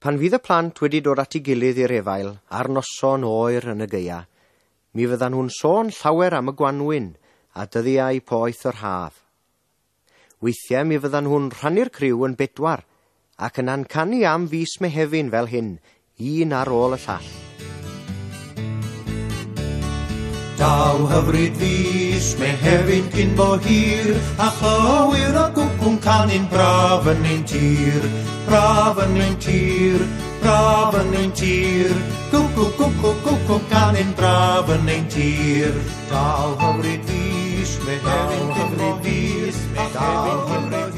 Pan fydd y plant wedi dod at ei gilydd i'r efail ar noson oer yn y gaea, mi fyddan nhw'n sôn llawer am y gwanwyn a dyddiau poeth yr haf. Weithiau mi fyddan nhw'n rhannu'r criw yn bedwar ac yna'n canu am fis Mehefin fel hyn, un ar ôl y llall. Daw hyfryd fis Mehefin cyn bo hir, a chlywir y gwcw'n canu'n braf yn ein tir, braf yn ein tir, braf yn ein tir. Gwcw, gwcw, gwcw'n canu'n braf yn ein tir. Daw hyfryd fis Mehefin cyn bo hir, a chlywir